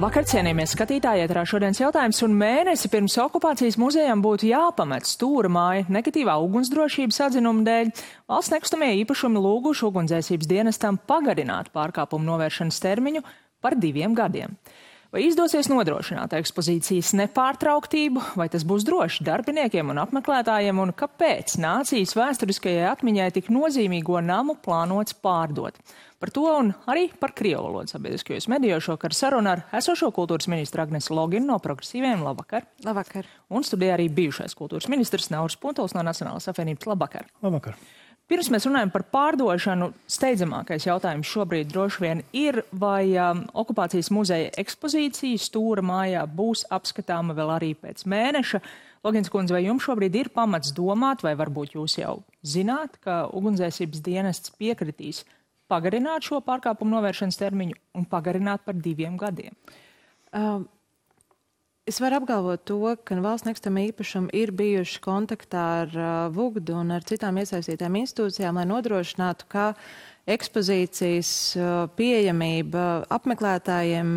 Vakar cienījamies skatītāji, ēterā šodienas jautājums, un mēnesi pirms okupācijas muzejam būtu jāpamet Stūra māja negatīvā ugunsdrošības atzinuma dēļ. Valsts nekustamie īpašumi lūguši ugunsdzēsības dienestam pagarināt pārkāpumu novēršanas termiņu par 2 gadiem. Vai izdosies nodrošināt ekspozīcijas nepārtrauktību, vai tas būs droši darbiniekiem un apmeklētājiem, un kāpēc nācijas vēsturiskajai atmiņai tik nozīmīgo namu plānots pārdot? Par to un arī par krievu valodu sabiedriskajos medijos šokar saruna ar esošo kultūras ministru Agnesu Loginu no Progresīviem. Labvakar! Labvakar! Un studijā arī bijušais kultūras ministrs Nauris Puntuls no Nacionālās apvienības. Labvakar! Labvakar! Pirms mēs runājam par pārdošanu, steidzamākais jautājums šobrīd droši vien ir, vai okupācijas muzeja ekspozīcija Stūra mājā būs apskatāma vēl arī pēc mēneša. Logins kundze, vai jums šobrīd ir pamats domāt, vai varbūt jūs jau zināt, ka ugunsdzēsības dienests piekritīs pagarināt šo pārkāpumu novēršanas termiņu un pagarināt par 2 gadiem? Es varu apgalvot to, ka valsts nekustamie īpašumi ir bijuši kontaktā ar VUGD un ar citām iesaistītām institūcijām, lai nodrošinātu, ka ekspozīcijas pieejamība apmeklētājiem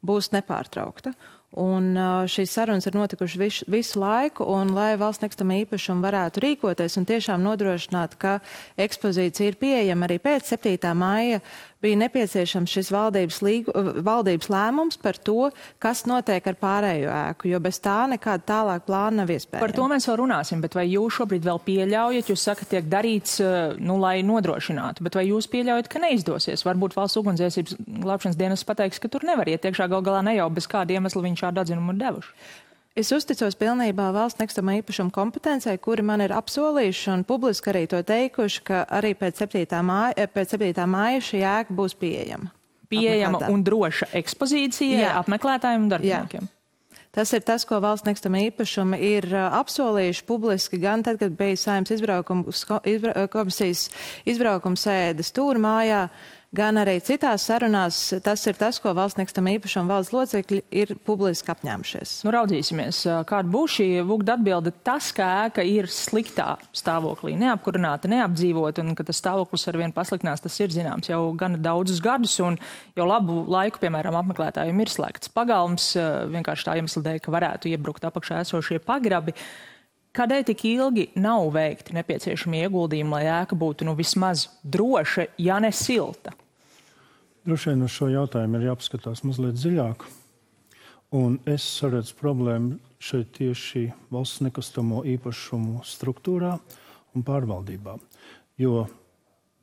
būs nepārtraukta. Un šīs sarunas ir notikušas visu laiku, un lai valsts nekustamie īpašumi varētu rīkoties un tiešām nodrošināt, ka ekspozīcija ir pieejama arī pēc 7. maija, bija nepieciešams šis valdības lēmums par to, kas notiek ar pārējo ēku, jo bez tā nekāda tālāk plāna nav iespējama. Par to mēs vēl runāsim, bet vai jūs šobrīd vēl pieļaujat, jūs sakat, tiek darīts, lai nodrošinātu, bet vai jūs pieļaujat, ka neizdosies? Varbūt valsts ugunsdzēsības glābšanas dienas pateiks, ka tur nevar iet iekšā, gal galā ne jau bez kāda iemesla viņi šādu atzinumu ir devuši. Es uzticos pilnībā valsts nekustamā īpašuma kompetencei, kuri man ir apsolījuši un publiski arī to teikuši, ka arī pēc 7. māja šī ēka būs pieejama. Pieejama un droša ekspozīcija apmeklētājiem un darbiniekiem. Jā. Tas ir tas, ko valsts nekustamā īpašuma ir apsolījuši publiski, gan tad, kad bija Saeimas komisijas izbraukuma sēde Stūra mājā, gan arī citās sarunās. Tas ir tas, ko valsts nekustamā īpašuma valdes locekļi ir publiski apņēmušies. Nu, raudzīsimies, kāda būs šī VUGD atbilde. Tas, ka ēka ir sliktā stāvoklī, neapkurināta, neapdzīvota, un ka tas stāvoklis arvien pasliktinās, tas ir zināms jau gan daudzus gadus, un jau labu laiku, piemēram, apmeklētājiem ir slēgts pagalms, vienkārši tā iemesla dēļ, ka varētu iebrukt apakšā esošie pagrabi. Kādēļ tik ilgi nav veikti nepieciešami ieguldījumi, lai ēka būtu vismaz droša, ja ne silta? Droši vien uz šo jautājumu ir jāpaskatās mazliet dziļāk. Un es saredzu problēmu šeit tieši valsts nekustamo īpašumu struktūrā un pārvaldībā. Jo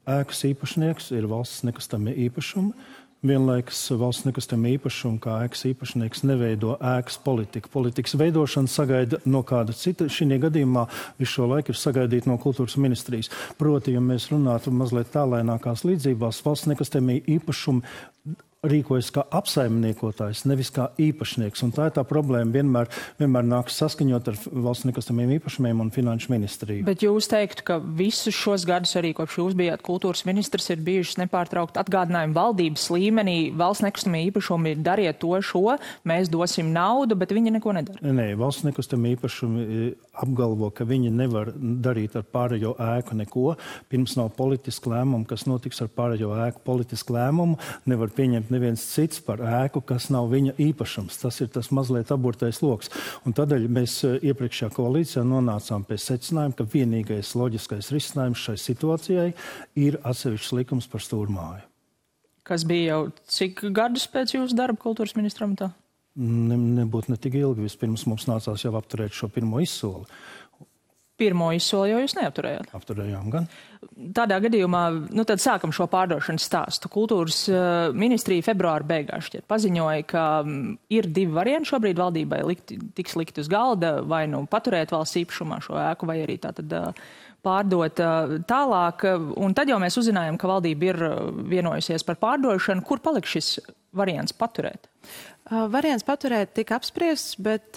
ēkas īpašnieks ir valsts nekustamie īpašumi. Vienlaikus valsts nekustamie īpašumi kā ēkas īpašnieks neveido ēkas politiku. Politikas veidošana sagaida no kāda cita. Šī gadījumā visu šo laiku ir sagaidīta no kultūras ministrijas. Proti, ja mēs runātu mazliet tālēnākās līdzībās, valsts nekustamie īpašumi rīkojas kā apsaimniekotājs, nevis kā īpašnieks. Un tā ir tā problēma vienmēr nāks saskaņot ar valsts nekustamiem īpašumiem un finanšu ministriju. Bet jūs teiktu, ka visus šos gadus arī kopš jūs bijāt kultūras ministrs ir bijušas nepārtraukt atgādinājumi valdības līmenī. Valsts nekustamie īpašumi dariet to šo, mēs dosim naudu, bet viņi neko nedara. Nē, valsts nekustamie īpašumi apgalvo, ka viņi nevar darīt ar pārējo ēku neko. Pirms nav politiska lēmuma, kas notiks ar pārējo ēku. Politisku lēmumu nevar pieņemt neviens cits par ēku, kas nav viņa īpašums. Tas ir tas mazliet aburtais loks. Un tādēļ mēs iepriekšējā koalīcijā nonācām pie secinājuma, ka vienīgais loģiskais risinājums šai situācijai ir atsevišķs likums par Stūra māju. Kas bija jau cik gadus pēc jūsu darba kultūras ministra amatā? Nebūtu ne tik ilgi. Vispirms mums nācās jau apturēt šo pirmo izsoli. Pirmo izsoli jau jūs neapturējāt? Apturējām gan. Tādā gadījumā, tad sākam šo pārdošanas stāstu. Kultūras ministrija februāra beigās šķiet paziņoja, ka ir 2 varianti šobrīd valdībai tiks likt uz galda, vai paturēt valsts īpašumā šo ēku, vai arī tātad pārdot tālāk. Un tad jau mēs uzzinājām, ka valdība ir vienojusies par pārdošanu. Kur paliks šis variants paturēt? Variants paturēt tika apspriests, bet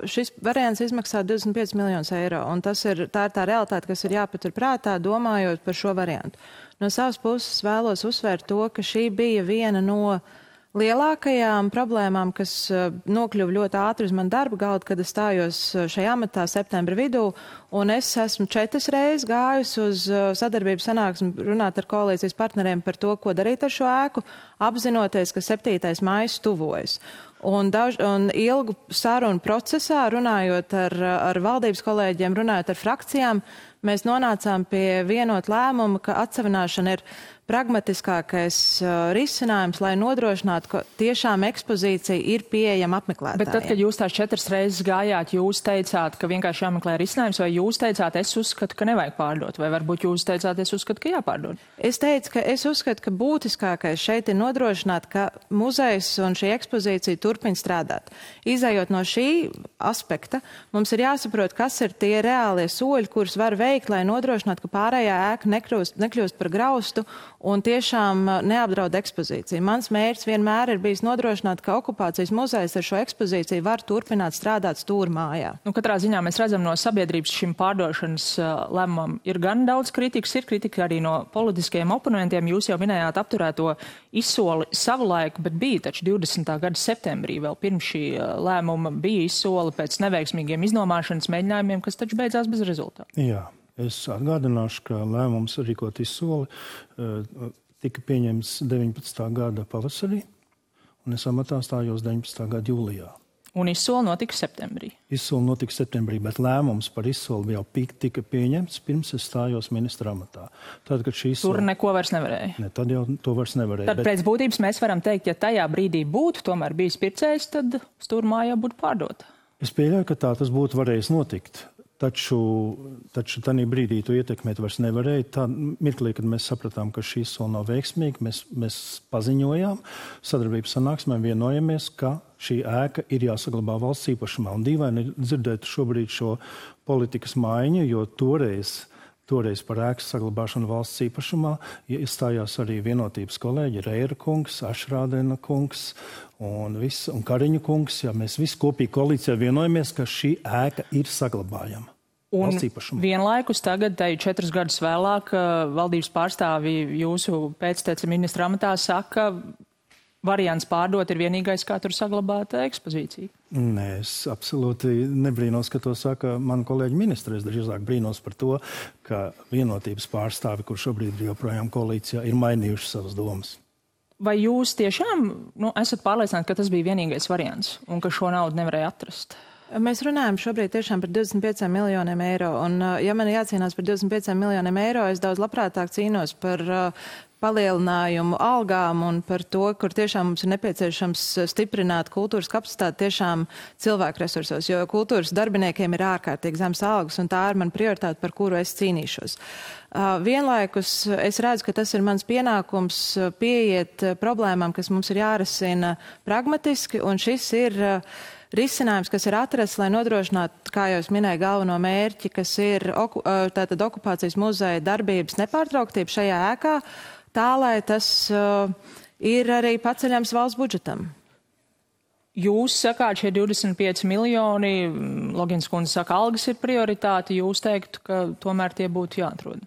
šis variants izmaksā 25 miljonus eiro. Un tā ir tā realitāte, kas ir jāpatur prātā, domājot par šo variantu. No savas puses vēlos uzsvērt to, ka šī bija viena no lielākajām problēmām, kas nokļuva ļoti ātri uz manu darba galdu, kad es stājos šajā amatā septembra vidū, un es esmu 4 reizes gājusi uz sadarbības sanāksmi runāt ar koalīcijas partneriem par to, ko darīt ar šo ēku, apzinoties, ka 7. maijs tuvojas. Un ilgu sarunu procesā, runājot ar valdības kolēģiem, runājot ar frakcijām, mēs nonācām pie vienota lēmuma, ka atsevināšana ir pragmatiskākais risinājums, lai nodrošinātu, ka tiešām ekspozīcija ir pieejama apmeklētājiem. Bet tad, kad jūs tās 4 reizes gājāt, jūs teicāt, ka vienkārši jāmeklē risinājums, vai jūs teicāt, es uzskatu, ka nevajag pārdot, vai varbūt jūs teicāt, es uzskatu, ka jāpārdod? Es teicu, ka es uzskatu, ka būtiskākais šeit ir nodrošināt, ka muzejs un šī ekspozīcija turpina strādāt. Izējot no šī aspekta, mums ir jāsaprot, kas ir tie reālie soļi, kurus var veikt, lai nodrošinātu, ka pārējā ēka nekļūst par graustu un tiešām neapdraud ekspozīciju. Mans mērķis vienmēr ir bijis nodrošināt, ka okupācijas muzejs ar šo ekspozīciju var turpināt strādāt stūrmājā. Katrā ziņā mēs redzam no sabiedrības šim pārdošanas lēmumam ir gan daudz kritikas, ir kritika arī no politiskajiem oponentiem. Jūs jau minējāt apturēto izsoli savulaik, bet bija taču 20. gada septembrī vēl pirms šī lēmuma bija izsoli pēc neveiksmīgiem iznomāšanas mēģinājumiem, kas taču beidzās bez rezultātu. Jā. Es atgādināšu, ka lēmums rīkot izsoli tika pieņemts 19. gada pavasarī, un es amatā stājos 19. gada jūlijā. Un izsoli notika septembrī. Izsoli notika septembrī, bet lēmums par izsoli jau tika pieņemts pirms es stājos ministra amatā. Tad, kad šī izsoli... Tur neko vairs nevarēja. Ne, tad jau to vairs nevarēja. Tad pēc būtības mēs varam teikt, ja tajā brīdī būtu tomēr bijis pircējs, tad stūrmāja būtu pārdota. Es pieļauju, ka tā tas būtu varējis notikt. Taču tajā brīdī to ietekmēt vairs nevarēja. Tā mirklī, kad mēs sapratām, ka šī izsole nav veiksmīga, mēs paziņojām sadarbības sanāksmē, vienojamies, ka šī ēka ir jāsaglabā valsts īpašumā. Un dīvaini dzirdēt šobrīd šo politikas maiņu, jo toreiz par ēkas saglabāšanu valsts īpašumā iestājās arī vienotības kolēģi Reira kungs, Ašrādena kungs un Kariņu kungs. Jā, mēs visi kopīgi koalīcijā vienojamies, ka šī ēka ir saglabājama. Un vienlaikus tagad, 4 gadus vēlāk, valdības pārstāvi jūsu pēctece ministra amatā saka, variants pārdot ir vienīgais, kā tur saglabāt ekspozīciju. Nē, es absolūti nebrīnos, ka to saka man kolēģi ministri. Es drīzāk brīnos par to, ka vienotības pārstāvi, kur šobrīd ir joprojām koalīcijā, ir mainījuši savas domas. Vai jūs tiešām esat pārliecināti, ka tas bija vienīgais variants un ka šo naudu nevarēja atrast? Mēs runājam šobrīd tiešām par 25 miljoniem eiro. Un, ja man jācīnās par 25 miljoniem eiro, es daudz labprātāk cīnos par palielinājumu algām un par to, kur tiešām mums ir nepieciešams stiprināt kultūras kapacitāti tiešām cilvēku resursos, jo kultūras darbiniekiem ir ārkārtīgi zems algas, un tā ir man prioritāte, par kuru es cīnīšos. Vienlaikus es redzu, ka tas ir mans pienākums pieiet problēmām, kas mums ir jārisina pragmatiski, un šis ir risinājums, kas ir atrasts, lai nodrošinātu, kā jau es minēju, galveno mērķi, kas ir tātad okupācijas muzeja darbības nepārtrauktība šajā ēkā, tā, lai tas ir arī paceļams valsts budžetam. Jūs sakāt, šie 25 miljoni, Logins kundze saka, algas ir prioritāte, jūs teiktu, ka tomēr tie būtu jāatrod.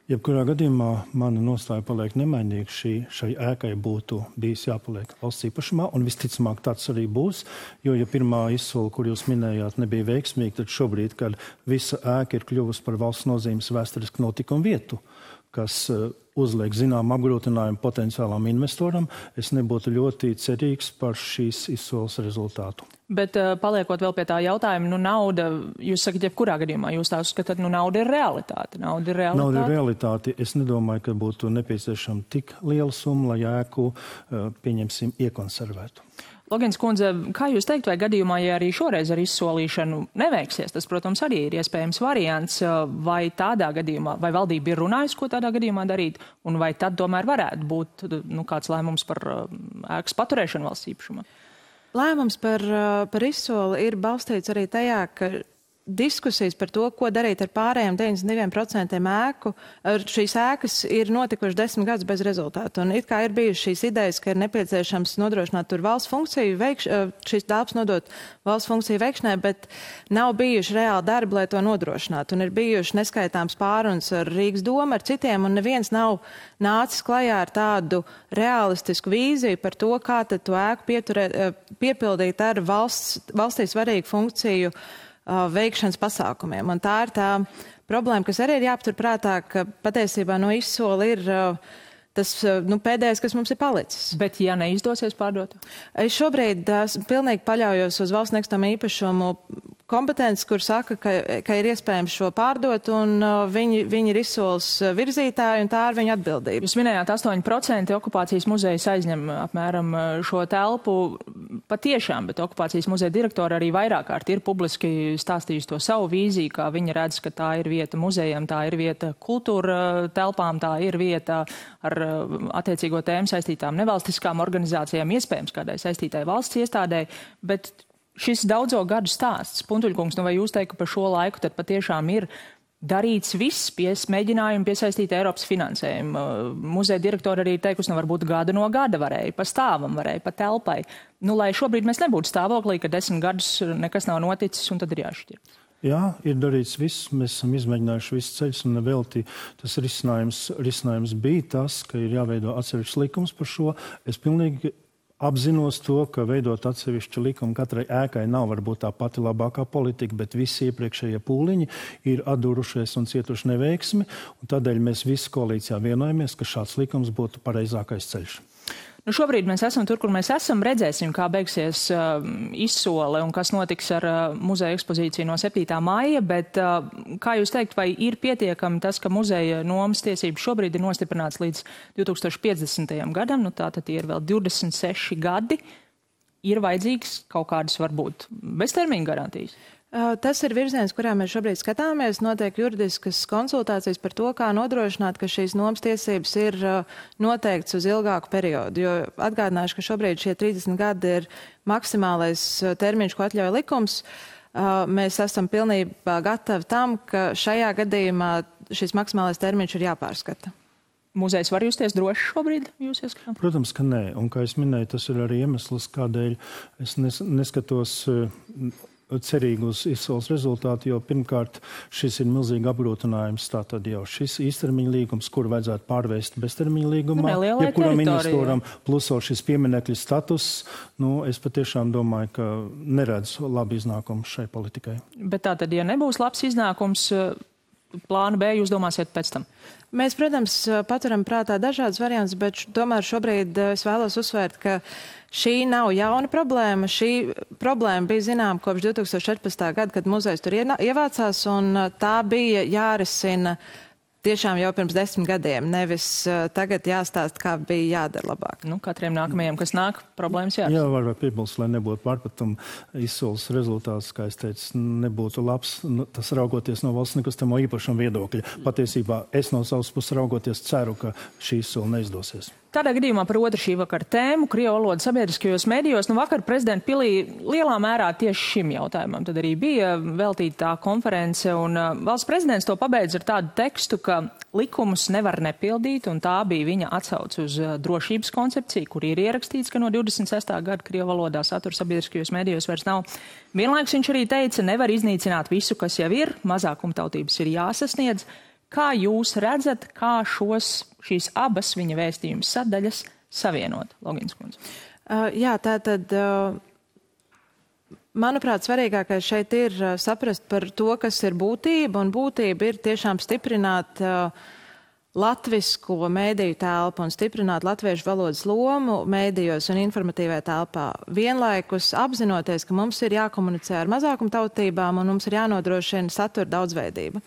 Jebkurā gadījumā mana nostāja paliek nemainīga. Šai ēkai būtu bijis jāpaliek valsts īpašumā, un visticamāk tāds arī būs, jo, ja pirmā izsole, kur jūs minējāt, nebija veiksmīga, tad šobrīd, kad visa ēka ir kļuvusi par valsts nozīmes vēsturisku notikumu vietu, kas uzliek zinām apgrūtinājumu potenciālam investoram, es nebūtu ļoti cerīgs par šīs izsoles rezultātu. Bet paliekot vēl pie tā jautājuma, nauda, jūs sakat, jebkurā gadījumā, jūs tā uzskatāt, nauda ir realitāte. Nauda ir realitāte. Es nedomāju, ka būtu nepieciešama tik liela summa, lai ēku, pieņemsim, iekonservētu. Logins kundze, kā jūs teikt, vai gadījumā, ja arī šoreiz ar izsolīšanu neveiksies, tas, protams, arī ir iespējams variants, vai tādā gadījumā, vai valdība ir runājusi, ko tādā gadījumā darīt, un vai tad tomēr varētu būt kāds lēmums par ēkas paturēšanu valsts īpašumā? Lēmums par izsoli ir balstīts arī tajā, ka diskusijas par to, ko darīt ar pārējiem 92% ēku. Šīs ēkas ir notikušas 10 gadus bez rezultātu. Un it kā ir bijušas šīs idejas, ka ir nepieciešams nodrošināt tur valsts funkciju, šīs telpas nodot valsts funkciju veikšanai, bet nav bijuši reāli darbi, lai to nodrošinātu. Un ir bijuši neskaitāms pārunas ar Rīgas domu, ar citiem, un neviens nav nācis klajā ar tādu realistisku vīziju par to, kā tad to ēku piepildīt ar valstī svarīgu funkciju veikšanas pasākumiem. Un tā ir tā problēma, kas arī ir jāpaturprātā, ka patiesībā no izsola ir tas pēdējais, kas mums ir palicis. Bet ja neizdosies pārdot? Es šobrīd pilnīgi paļaujos uz valsts nekustamo īpašumu kompetences, kur saka, ka ir iespējams šo pārdot, un viņi ir izsoles virzītāji, un tā ir viņa atbildība. Jūs minējāt, 8% okupācijas muzejs aizņem apmēram šo telpu. Patiešām, bet okupācijas muzeja direktora arī vairāk kārt ir publiski stāstījusi to savu vīziju, kā viņa redz, ka tā ir vieta muzejam, tā ir vieta kultūra telpām, tā ir vieta ar attiecīgo tēmu saistītām nevalstiskām organizācijām, iespējams kādai saistītai valsts iestādē, bet šis daudzo gadu stāsts, Puntuļkungs, vai jūs teikt, ka par šo laiku tad patiešām ir darīts viss mēģinājumi piesaistīt Eiropas finansējumu. Muzeja direktora arī teikusi, varbūt gada no gada varēja, pa stāvam varēja, pa telpai. Lai šobrīd mēs nebūtu stāvoklī, ka 10 gadus nekas nav noticis un tad ir jāšķir. Jā, ir darīts viss, mēs esam izmēģinājuši visus ceļus un nevelti. Tas risinājums bija tas, ka ir jāveido atsevišķs likums par šo. Es pilnīgi apzinos to, ka veidot atsevišķu likumu katrai ēkai nav varbūt tā pati labākā politika, bet visi iepriekšējie pūliņi ir atdurušies un cietuši neveiksmi, un tādēļ mēs visi koalīcijā vienojamies, ka šāds likums būtu pareizākais ceļš. Šobrīd mēs esam tur, kur mēs esam. Redzēsim, kā beigsies izsole un kas notiks ar muzeja ekspozīciju no 7. maija, bet kā jūs teikt, vai ir pietiekami tas, ka muzeja nomas tiesības šobrīd ir nostiprināts līdz 2050. gadam, tātad ir vēl 26 gadi, ir vajadzīgs kaut kādas varbūt beztermiņa garantijas? Tas ir virziens, kurā mēs šobrīd skatāmies. Notiek juridiskas konsultācijas par to, kā nodrošināt, ka šīs nomas tiesības ir noteikts uz ilgāku periodu. Jo atgādināšu, ka šobrīd šie 30 gadi ir maksimālais termiņš, ko atļauj likums. Mēs esam pilnībā gatavi tam, ka šajā gadījumā šis maksimālais termiņš ir jāpārskata. Muzejs var justies droši šobrīd? Protams, ka nē. Un, kā es minēju, tas ir arī iemesls, kādēļ es neskatos cerīgi uz izsoles rezultātu, jo pirmkārt šis ir milzīgi apgrūtinājums. Tātad jau šis īstermiņa līgums, kur vajadzētu pārvērst beztermiņa līgumā, jebkuram investoram, plus vēl šis pieminekļu status, es patiešām domāju, ka neredzu labu iznākumu šai politikai. Bet tātad, ja nebūs labs iznākums, plānu B jūs domāsiet pēc tam? Mēs, protams, paturam prātā dažādas variantus, bet tomēr šobrīd es vēlos uzsvērt, ka šī nav jauna problēma. Šī problēma bija zinām kopš 2014. gada, kad muzejs tur ievācās, un tā bija jārisina tiešām jau pirms 10 gadiem, nevis tagad jāstāst, kā bija jādara labāk. Katriem nākamajiem, kas nāk, problēmas jārisina. Jā, var piebilst, lai nebūtu pārpratuma izsoles rezultāts, kā es teicu, nebūtu labs, tas raugoties no valsts nekustamo īpašumu viedokļa. Patiesībā es no savas puses raugoties ceru, ka šī izsole neizdosies. Tādā gadījumā par otru šī vakara tēmu, krievu valodu sabiedriskajos medijos, vakar prezidenta pilī lielā mērā tieši šim jautājumam. Tad arī bija veltīta tā konference, un valsts prezidents to pabeidz ar tādu tekstu, ka likumus nevar nepildīt, un tā bija viņa atsauce uz drošības koncepciju, kur ir ierakstīts, ka no 26. gada krievu valodā satura sabiedriskajos medijos vairs nav. Vienlaikus viņš arī teica, nevar iznīcināt visu, kas jau ir, mazākumtautības ir jāsasniedz. Kā jūs redzat, kā šīs abas viņa vēstījuma sadaļas savienot, Logins kundze? Jā, tātad, manuprāt, svarīgākais šeit ir saprast par to, kas ir būtība, un būtība ir tiešām stiprināt latvisko mēdīju telpu un stiprināt latviešu valodas lomu mēdījos un informatīvajā telpā. Vienlaikus apzinoties, ka mums ir jākomunicē ar mazākumtautībām un mums ir jānodrošina satura daudzveidība.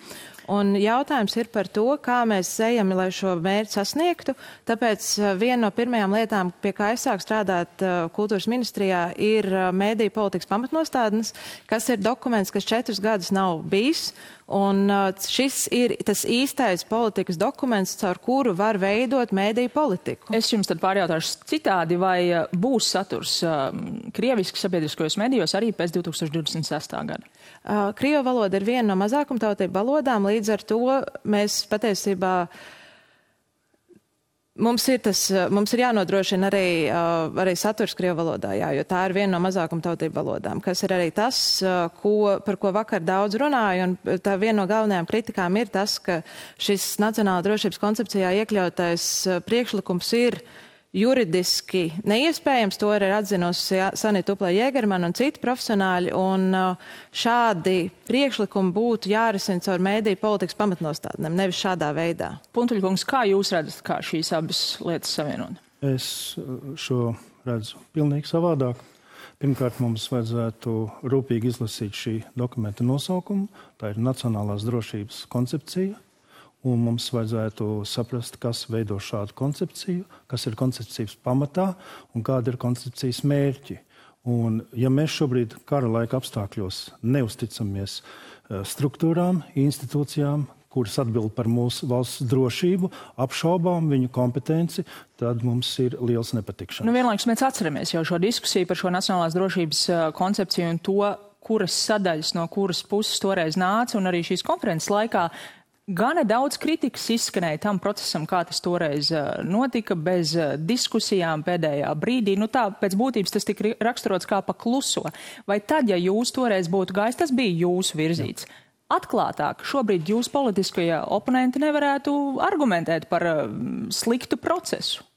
Un jautājums ir par to, kā mēs ejam, lai šo mērķi sasniegtu. Tāpēc viena no pirmajām lietām, pie kā es sāku strādāt kultūras ministrijā, ir mēdīju politikas pamatnostādnes, kas ir dokuments, kas 4 gadus nav bijis. Un šis ir tas īstais politikas dokuments, caur kuru var veidot mēdīju politiku. Es jums tad pārjautāšu citādi, vai būs saturs krieviski sabiedriskajos medijos arī pēc 2026. gada? Krievu valoda ir viena no mazākumtautību valodām, līdz ar to mēs patiesībā mums ir jānodrošina arī saturs krievu valodā, jo tā ir viena no mazākumtautību valodām, kas ir arī tas, par ko vakar daudz runāja, un tā viena no galvenajām kritikām ir tas, ka šis nacionāla drošības koncepcijā iekļautais priekšlikums ir juridiski neiespējams. To ir atzinusi Sanita Uplē-Jēgermana un citi profesionāļi, un šādi priekšlikumi būtu jārisina caur mēdīju politikas pamatnostādnēm, nevis šādā veidā. Puntuļkungs, kā jūs redzat, kā šīs abas lietas savienot? Es šo redzu pilnīgi savādāk. Pirmkārt, mums vajadzētu rūpīgi izlasīt šī dokumenta nosaukumu. Tā ir Nacionālās drošības koncepcija. Un mums vajadzētu saprast, kas veido šādu koncepciju, kas ir koncepcijas pamatā un kāda ir koncepcijas mērķi. Un, ja mēs šobrīd kara laika apstākļos neusticamies struktūrām, institūcijām, kuras atbild par mūsu valsts drošību, apšaubām viņu kompetenci, tad mums ir liels nepatikšanas. Vienlaikus mēs atceramies jau šo diskusiju par šo nacionālās drošības koncepciju un to, kuras sadaļas no kuras puses toreiz nāca, un arī šīs konferences laikā gana daudz kritikas izskanēja tam procesam, kā tas toreiz notika, bez diskusijām pēdējā brīdī. Tā pēc būtības tas tika raksturots kā pa kluso. Vai tad, ja jūs toreiz būtu gājis, tas bija jūsu virzīts? Atklātāk, šobrīd jūs politiskie oponenti nevarētu argumentēt par sliktu procesu.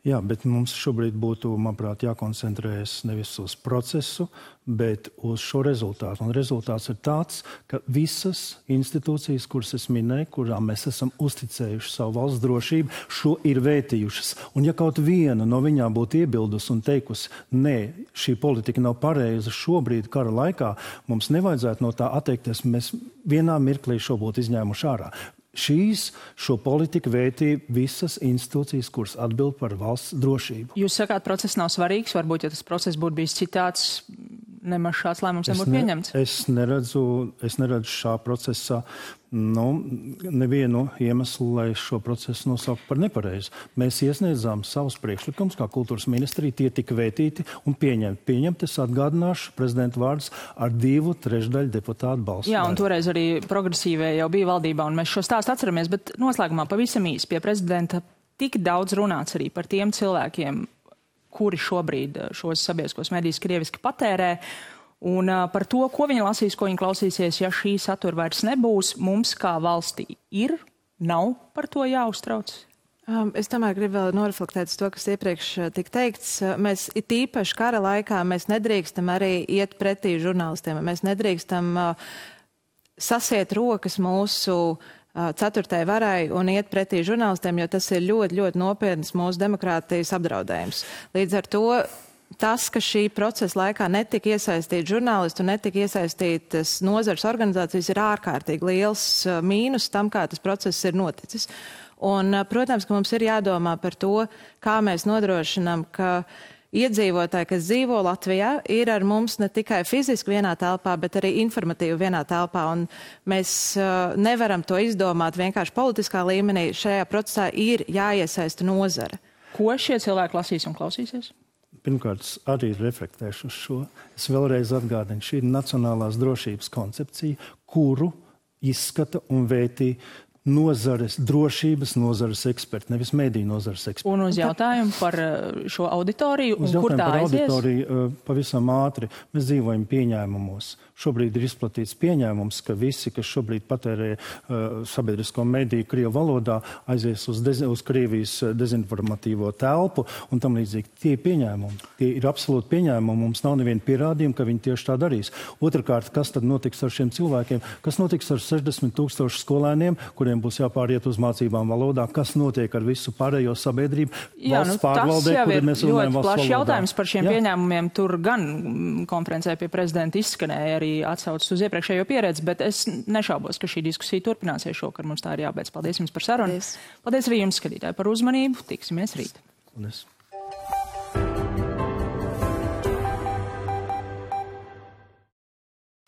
Jā, bet mums šobrīd būtu, manuprāt, jākoncentrējas nevis uz procesu, bet uz šo rezultātu. Un rezultāts ir tāds, ka visas institūcijas, kuras es minēju, kurām mēs esam uzticējuši savu valsts drošību, šo ir vērtījušas. Un ja kaut viena no viņām būtu iebildusi un teikusi, nē, šī politika nav pareiza šobrīd kara laikā, mums nevajadzētu no tā atteikties, mēs vienā mirklī šo būtu izņēmuši ārā. Šo politiku vērtīja visas institūcijas, kuras atbild par valsts drošību. Jūs sakāt, process nav svarīgs, varbūt, ja tas process būtu bijis citāds, nemaz šāds lēmums nebūtu pieņemts? Es neredzu šā procesā nevienu iemeslu, lai šo procesu nosauktu par nepareizu. Mēs iesniedzām savus priekšlikumus, kā kultūras ministrija, tie tika vērtīti un pieņemti. Es atgādināšu prezidenta vārdus ar 2/3 deputātu balsu. Jā, un toreiz arī progresīvie jau bija valdībā, un mēs šo stāstu atceramies, bet noslēgumā pavisam īsi pie prezidenta tik daudz runāts arī par tiem cilvēkiem, kuri šobrīd šos sabiedriskos medijus krieviski patērē, un par to, ko viņi lasīs, ko viņi klausīsies, ja šī satura vairs nebūs, mums kā valstī nav par to jāuztrauc? Es tomēr gribu vēl noreflektēt uz to, kas iepriekš tika teikts. Mēs tīpaši kara laikā mēs nedrīkstam arī iet pretī žurnālistiem. Mēs nedrīkstam sasiet rokas mūsu ceturtajai varai un iet pretī žurnālistiem, jo tas ir ļoti, ļoti nopietnas mūsu demokrātijas apdraudējums. Līdz ar to tas, ka šī procesa laikā netika iesaistīti žurnālisti un netika iesaistītas nozares organizācijas, ir ārkārtīgi liels mīnus tam, kā tas process ir noticis. Un, protams, ka mums ir jādomā par to, kā mēs nodrošinām, ka iedzīvotāji, kas dzīvo Latvijā, ir ar mums ne tikai fiziski vienā telpā, bet arī informatīvi vienā telpā. Un mēs nevaram to izdomāt vienkārši politiskā līmenī. Šajā procesā ir jāiesaista nozare. Ko šie cilvēki lasīs un klausīsies? Pirmkārt, arī reflektēšu uz šo. Es vēlreiz atgādinu, šī ir nacionālās drošības koncepcija, kuru izskata un vērtī nozares, drošības nozares eksperti, nevis mediju nozares eksperti. Un uz jautājumu par šo auditoriju, un kur tā aizies? Uz jautājumu par auditoriju pavisam ātri. Mēs dzīvojam pieņēmumos. Šobrīd ir izplatīts pieņēmums, ka visi, kas šobrīd patērē sabiedrisko mediju Krievu valodā, aizies uz Krievijas dezinformatīvo telpu un tam līdzīgi. Tie ir pieņēmumi. Tie ir absolūti pieņēmumi. Mums nav neviena pierādījuma, ka viņi tieši tā darīs. Otrakārt, kas tad notiks ar šiem cilvēkiem? Kas notiks ar 60 000 skolēniem, kuriem skolotājiem būs jāpāriet uz mācībām valodā, kas notiek ar visu pārējo sabiedrību. Jā, valsts pārvaldē, kur mēs runājam valsts plašs valodā. Jautājums par šiem pieņēmumiem. Tur gan konferencē pie prezidenta izskanēja arī atsaucas uz iepriekšējo pieredzi, bet es nešaubos, ka šī diskusija turpināsies šokar. Mums tā ir jābeidz. Paldies jums par sarunu. Paldies arī jums, skatītāji, par uzmanību. Tiksimies rīt. Paldies.